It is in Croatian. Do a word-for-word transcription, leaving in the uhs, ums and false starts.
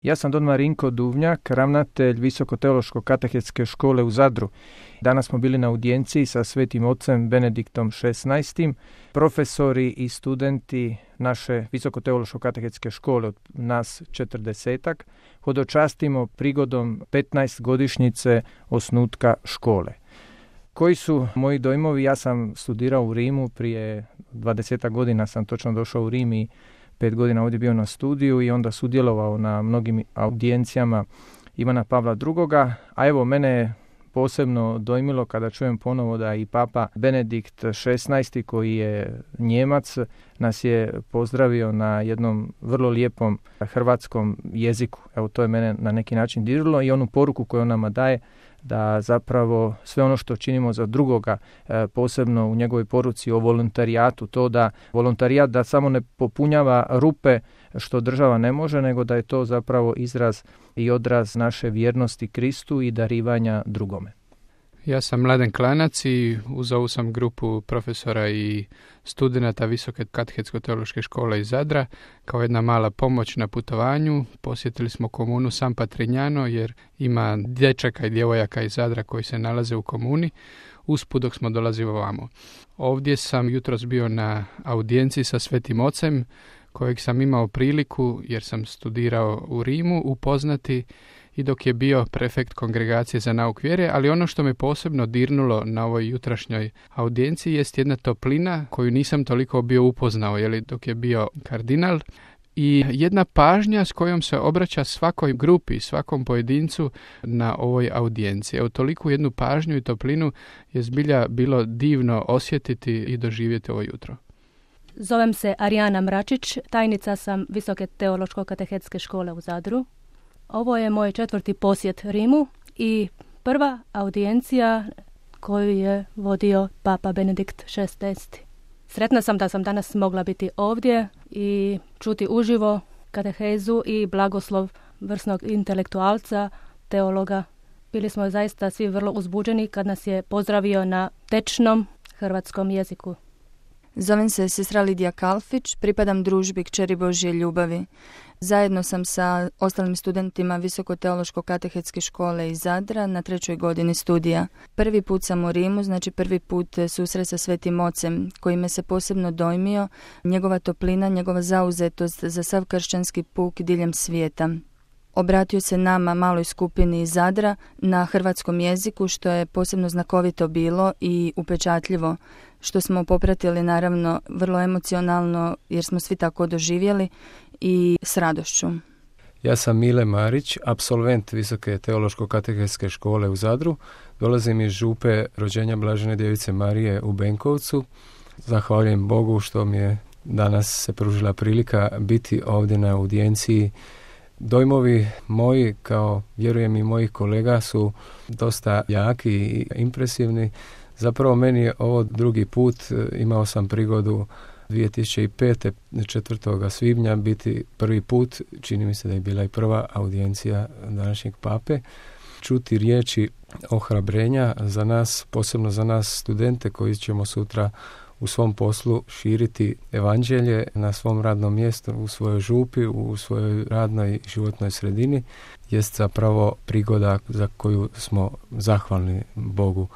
Ja sam don Marinko Duvnjak, ravnatelj Visoko-teološko katehetske škole u Zadru. Danas smo bili na audijenciji sa svetim ocem Benediktom šesnaestim. Profesori i studenti naše Visoko-teološko katehetske škole, od nas četrdesetak, hodočastimo prigodom petnaest godišnjice osnutka škole. Koji su moji dojmovi? Ja sam studirao u Rimu, prije dvadesetak godina sam točno došao u Rim i pet godina ovdje bio na studiju i onda sudjelovao na mnogim audijencijama Ivana Pavla drugoga. A evo, mene je posebno dojmilo kada čujem ponovo da i Papa Benedikt šesnaesti, koji je Njemac, nas je pozdravio na jednom vrlo lijepom hrvatskom jeziku. Evo, to je mene na neki način dirilo i onu poruku koju on nama daje, da zapravo sve ono što činimo za drugoga, posebno u njegovoj poruci o volontarijatu, to da volontarijat da samo ne popunjava rupe što država ne može, nego da je to zapravo izraz i odraz naše vjernosti Kristu i darivanja drugome. Ja sam Mladen Klanac i uz ovu sam grupu profesora i studenata Visoke katehetsko-teološke škole iz Zadra. Kao jedna mala pomoć na putovanju posjetili smo komunu San Patrignano jer ima dječaka i djevojaka iz Zadra koji se nalaze u komuni. Usput dok smo dolazili ovamo. Ovdje sam jutros bio na audijenciji sa Svetim Ocem, kojeg sam imao priliku, jer sam studirao u Rimu, upoznati i dok je bio prefekt kongregacije za nauk vjere, ali ono što me posebno dirnulo na ovoj jutrašnjoj audijenciji jest jedna toplina koju nisam toliko bio upoznao, jeli, dok je bio kardinal, i jedna pažnja s kojom se obraća svakoj grupi, svakom pojedincu na ovoj audijenciji. Evo, toliku jednu pažnju i toplinu je zbilja bilo divno osjetiti i doživjeti ovo jutro. Zovem se Arijana Mračić, tajnica sam Visoke teološko-katehetske škole u Zadru. Ovo je moj četvrti posjet Rimu i prva audijencija koju je vodio Papa Benedikt šesnaesti. Sretna sam da sam danas mogla biti ovdje i čuti uživo katehezu i blagoslov vrsnog intelektualca, teologa. Bili smo zaista svi vrlo uzbuđeni kad nas je pozdravio na tečnom hrvatskom jeziku. Zovem se sestra Lidija Kalfić, pripadam družbi Kćeri Božje ljubavi. Zajedno sam sa ostalim studentima Visoko-teološko-katehetske škole iz Zadra na trećoj godini studija. Prvi put sam u Rimu, znači prvi put susret sa Svetim Ocem, koji me se posebno dojmio, njegova toplina, njegova zauzetost za sav kršćanski puk diljem svijeta. Obratio se nama, maloj skupini iz Zadra, na hrvatskom jeziku, što je posebno znakovito bilo i upečatljivo, što smo popratili naravno vrlo emocionalno jer smo svi tako doživjeli i s radošću. Ja sam Mile Marić, apsolvent Visoke teološko-katehetske škole u Zadru. Dolazim iz župe rođenja Blažene djevice Marije u Benkovcu. Zahvaljujem Bogu što mi je danas se pružila prilika biti ovdje na audijenciji. Dojmovi moji, kao vjerujem i mojih kolega, su dosta jaki i impresivni. Zapravo meni je ovo drugi put, imao sam prigodu dvije tisuće pete. četvrtog svibnja biti prvi put, čini mi se da je bila i prva audijencija današnjeg pape, čuti riječi ohrabrenja za nas, posebno za nas studente koji ćemo sutra u svom poslu širiti evanđelje na svom radnom mjestu, u svojoj župi, u svojoj radnoj životnoj sredini, jest zapravo prigoda za koju smo zahvalni Bogu.